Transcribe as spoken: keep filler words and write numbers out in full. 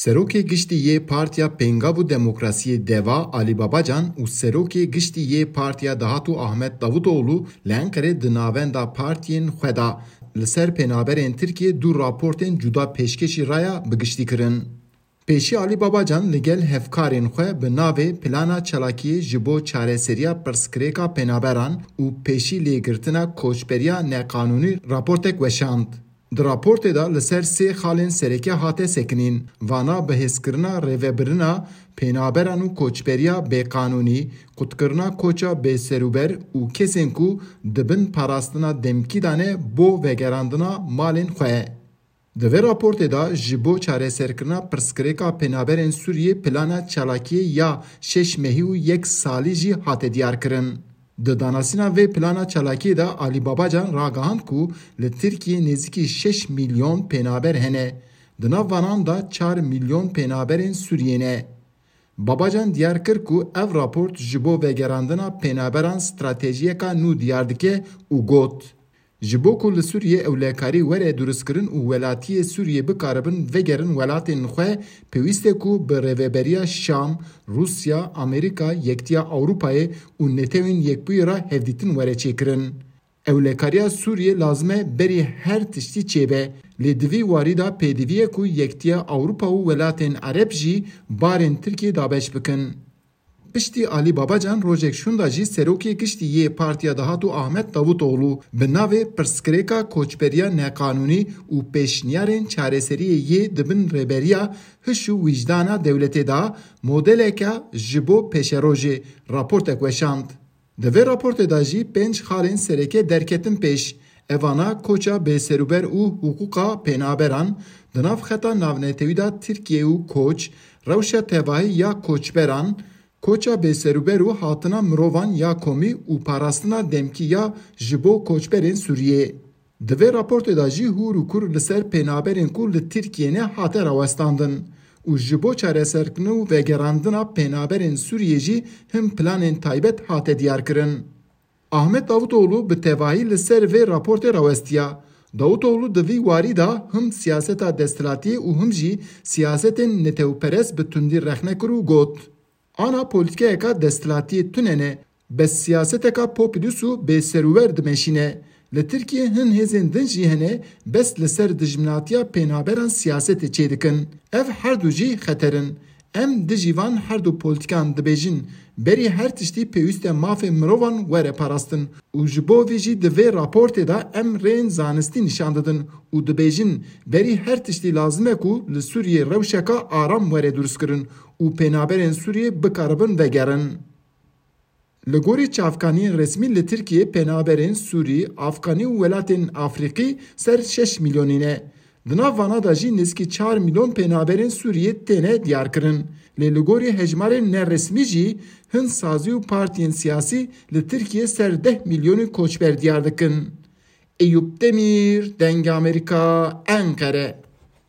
Serokê Giştî yê Partiya Pêngav û Demokrasiyê DEVA Alî Babacan û Serokê Giştî yê Partiya Dahatû Ahmet Davutoğlu li Enqerê di navenda partiyên xwe de li ser pênaberên Tirkiyê du raportên cuda pêşkêşî raya bi giştî kirin. Pêşî Alî Babacan li gel hevkarên xwe bi navê Plana Çalakiyê ji bo çareseriya pirsgirêka pênaberan û pêşî lêgirtina koçberiya neqanûnî raportek weşand. Di raportê de li ser sê xalên sereke hate sekinîn, vana bihêzkirina rêvebirina pênaberan û koçberiya bêqanûnî, qutkirina koça bêserûber û kesên ku di bin parastina demkî de ne bo vegerandina malên xwe. Di vê raportê de ji bo çareserkirina pirsgirêka pênaberên Sûriyê plana çalakiyê ya şeş mehî û yek salî jî hate diyarkirin. Di danasîna vê plana çalakiyê de Alî Babacan ragihand ku li Tirkiyê nêzîkî şeş milyon pênaber hene. Di nav vanan de çar milyon pênaberên Sûriyê ne. Babacan diyar kir ku ev raport ji bo vegerandina pênaberan stratejiyeka nû diyar dike û got, Ji bo ku li Sûriyê ewlekarî were durustkirin û welatiyê Sûriyê bikaribin vegerin welatên xwe, pêwîst e ku bi rêveberiya Şam, Rûsya, Amerîka, Yektiya Ewropayê û Netewên Yekbûyî re hevdîtin were çêkirin. Ewlekariya Sûriyê lazim e berî her tiştî çêbe, lê di vî warî de pêdivî ye ku Yektiya Ewropa û welatên Ereb jî barên Tirkiyê dabeş bikin. Piştî Alî Babacan rojek şûnda jî Serokê Giştî yê Partiya Dahatû Ahmet Davutoğlu bi navê Pirsgirêka Koçberiya Neqanûnî û Pêşniyarên Çareseriyê yê di bin rêberiya Hiş û Wijdana Dewletê de modeleke ji bo pêşerojê raportek weşand. Di vê raportê de jî pênc xalên sereke derketin pêş. Evana koça bêserûber û hiqûqa pênaberan, di nav xeta navnetewî de Tirkiye û koç, rewşa tevahî ya koçberan, koça bêserûber û hatina mirovan ya komî û parastina demkî ya ji bo koçberên Sûriyê. Di vê raportê de jî hûr û kur li ser pênaberên ku li Tirkiyê ne hate rawestandin û ji bo çareserkirin û vegerandina pênaberên Sûriyê jî hin planên taybet hate diyarkirin. Ahmet Davutoğlu bi tevahî li ser vê raportê rawestiya. Davutoğlu di vî warî de him siyaseta desthilatiyê û him jî siyasetên netewperest bi tundî rexne kir û got, Ana polîtîkayeka desthilatiyê tune ne, bes siyaseteka populîst û bêserûber dimeşîne. Li Tirkiyê hin hêzên din jî hene, bes li ser dijminatiya pênaberan siyasetê çêdikin. Ev her du jî xeter in. Em dijî van her du polîtîkan dibêjin, berî her tiştî pêwîst e mafê mirovan were parastin û ji bo vî jî di vê raportê de em rêyên zanistî nîşan didin û dibêjin, berî her tiştî lazim e ku li Sûriyê rewşeka aram were durustkirin û pênaberên Sûriyê bikaribin vegerin. Li gorî çavkaniyên resmî li Tirkiyê pênaberên Sûrî, Afganî û welatên Afrîqî ser şeş milyonî ne. Di nav vana de jî nêzîkî çar milyon pênaberên Sûriyê têne diyarkirin. Lê li gorî hejmarên neresmî jî hin sazî û partiyên siyasî li Tirkiyê ser deh milyonî koçber diyar dikin. Eyûp Demîr, Dengê Amerîka, Enqere.